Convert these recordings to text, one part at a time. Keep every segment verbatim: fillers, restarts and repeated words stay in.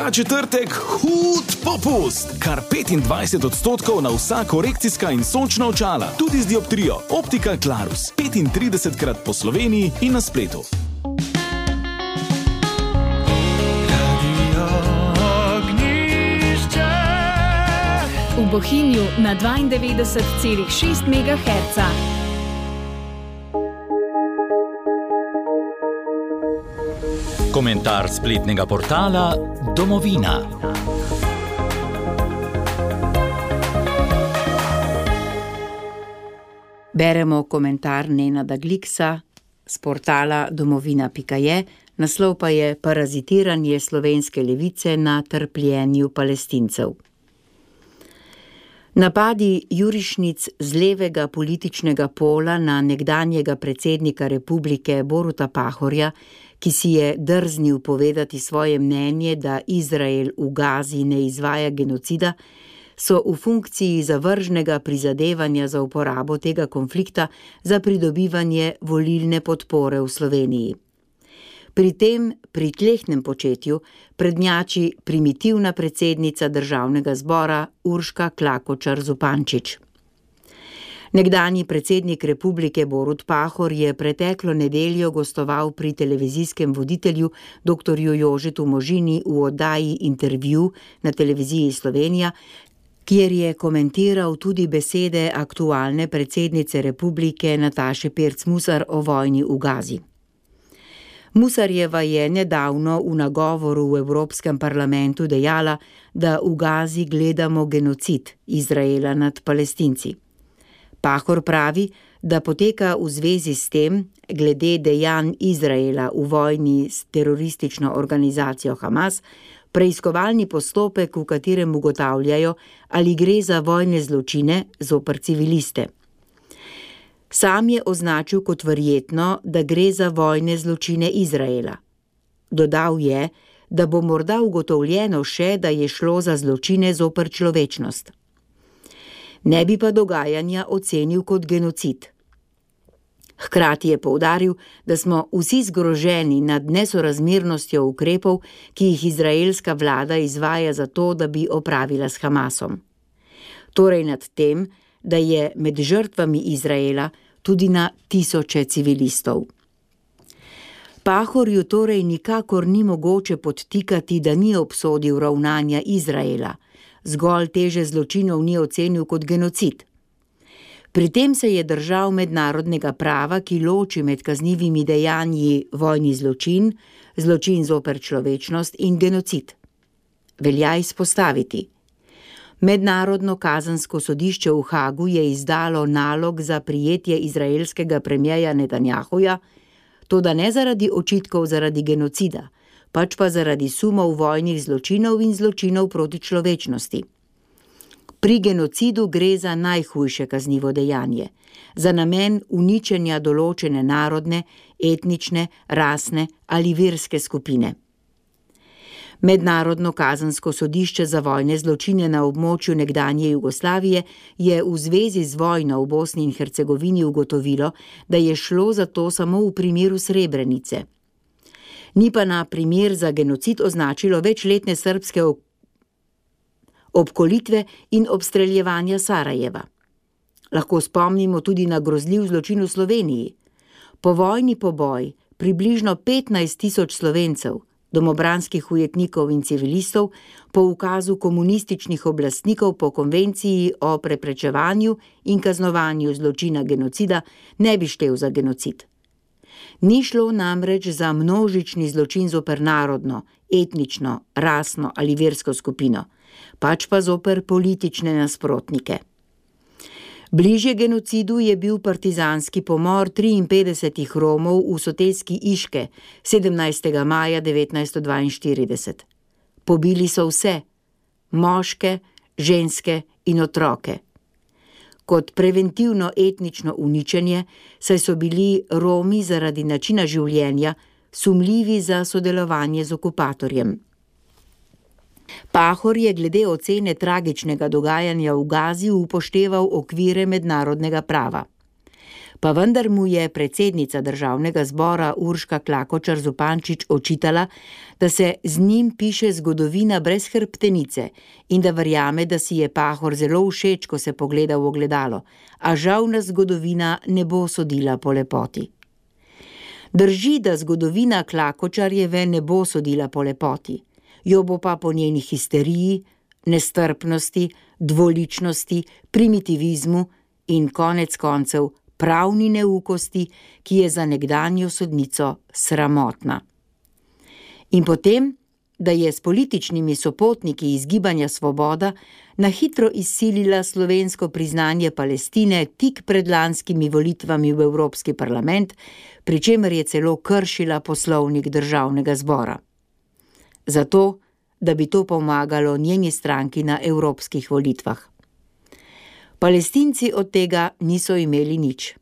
Ta četrtek hud popust. Kar petindvajset odstotkov na vsa korekcijska in sončna očala, tudi z dioptrijo. Optika Clarus. petintridesetkrat po Sloveniji in na spletu. V Bohinju na dvaindevetdeset celih šest megaherca. Komentar spletnega portala Domovina. Beremo komentar Nenada Gliksa z portala domovina pika je, naslov pa je Parazitiranje slovenske levice na trpljenju Palestincev. Napadi jurišnic z levega političnega pola na nekdanjega predsednika republike Boruta Pahorja, ki si je drznil povedati svoje mnenje, da Izrael v Gazi ne izvaja genocida, so v funkciji zavržnega prizadevanja za uporabo tega konflikta za pridobivanje volilne podpore v Sloveniji. Pri tem pritlehnem početju prednjači primitivna predsednica državnega zbora Urška Klakočar Zupančič. Nekdanji predsednik republike Borut Pahor je preteklo nedeljo gostoval pri televizijskem voditelju doktorju Jožetu Možini v oddaji Intervju na televiziji Slovenija, kjer je komentiral tudi besede aktualne predsednice republike Nataše Pirc Musar o vojni v Gazi. Musarjeva je nedavno v nagovoru v Evropskem parlamentu dejala, da v Gazi gledamo genocid Izraela nad Palestinci. Pahor pravi, da poteka v zvezi s tem, glede dejanj Izraela v vojni s teroristično organizacijo Hamas, preiskovalni postopek, v katerem ugotavljajo, ali gre za vojne zločine zoper civiliste. Sam je označil kot verjetno, da gre za vojne zločine Izraela. Dodal je, da bo morda ugotovljeno še, da je šlo za zločine zoper človečnost. Ne bi pa dogajanja ocenil kot genocid. Hkrati je poudaril, da smo vsi zgroženi nad nesorazmernostjo ukrepov, ki jih izraelska vlada izvaja za to, da bi opravila s Hamasom. Torej nad tem, da je med žrtvami Izraela tudi na tisoče civilistov. Pahorju torej nikakor ni mogoče podtikati, da ni obsodil ravnanja Izraela, zgolj teže zločinov ni ocenil kot genocid. Pri tem se je držal mednarodnega prava, ki loči med kaznivimi dejanji vojni zločin, zločin zoper človečnost in genocid. Velja izpostaviti. Mednarodno kazensko sodišče v Hagu je izdalo nalog za prijetje izraelskega premierja Netanjahuja, toda ne zaradi očitkov zaradi genocida, pač pa zaradi sumov vojnih zločinov in zločinov proti človečnosti. Pri genocidu gre za najhujše kaznivo dejanje, za namen uničenja določene narodne, etnične, rasne ali verske skupine. Mednarodno kazensko sodišče za vojne zločine na območju nekdanje Jugoslavije je v zvezi z vojno v Bosni in Hercegovini ugotovilo, da je šlo za to samo v primeru Srebrenice. Ni pa na primer za genocid označilo večletne srbske obkolitve in obstreljevanja Sarajeva. Lahko spomnimo tudi na grozljiv zločin v Sloveniji. Povojni poboj približno petnajst tisoč Slovencev, domobranskih ujetnikov in civilistov, po ukazu komunističnih oblastnikov po konvenciji o preprečevanju in kaznovanju zločina genocida ne bi štel za genocid. Ni šlo namreč za množični zločin zoper narodno, etnično, rasno ali versko skupino, pač pa zoper politične nasprotnike. Bližje genocidu je bil partizanski pomor triinpetdesetih Romov v soteski Iške sedemnajstega maja devetnajststo dvainštirideset. Pobili so vse, moške, ženske in otroke. Kot preventivno etnično uničenje, saj so bili Romi zaradi načina življenja sumljivi za sodelovanje z okupatorjem. Pahor je glede ocene tragičnega dogajanja v Gazi upošteval okvire mednarodnega prava. Pa vendar mu je predsednica državnega zbora Urška Klakočar Zupančič očitala, da se z njim piše zgodovina brez hrbtenice in da verjame, da si je Pahor zelo všeč, ko se pogleda v ogledalo, a žal nas zgodovina ne bo sodila po lepoti. Drži, da zgodovina Klakočarjeve ne bo sodila po lepoti, jo bo pa po njeni histeriji, nestrpnosti, dvoličnosti, primitivizmu in konec koncev pravni neukosti, ki je za nekdanjo sodnico sramotna. In potem, da je s političnimi sopotniki iz Gibanja Svoboda na hitro izsilila slovensko priznanje Palestine tik pred lanskimi volitvami v Evropski parlament, pri čemer je celo kršila poslovnik državnega zbora. Zato, da bi to pomagalo njeni stranki na evropskih volitvah. Palestinci od tega niso imeli nič.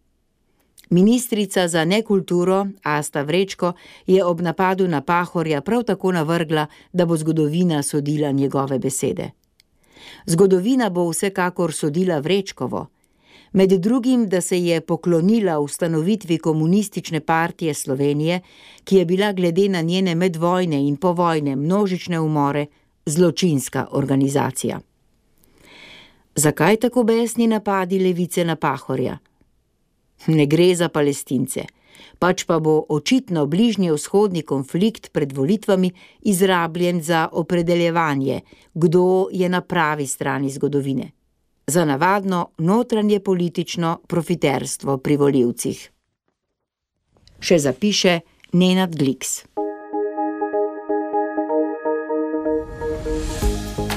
Ministrica za nekulturo Asta Vrečko je ob napadu na Pahorja prav tako navrgla, da bo zgodovina sodila njegove besede. Zgodovina bo vsekakor sodila Vrečkovo, med drugim, da se je poklonila ustanovitvi Komunistične partije Slovenije, ki je bila glede na njene medvojne in povojne množične umore zločinska organizacija. Zakaj tako besni napadi levice na Pahorja? Ne gre za Palestince, pač pa bo očitno bližnjevzhodni konflikt pred volitvami izrabljen za opredeljevanje, kdo je na pravi strani zgodovine. Za navadno notranje politično profiterstvo pri volivcih. Še zapiše Nenad Gliks.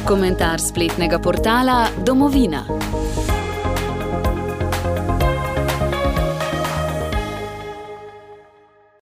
Komentar spletnega portala Domovina.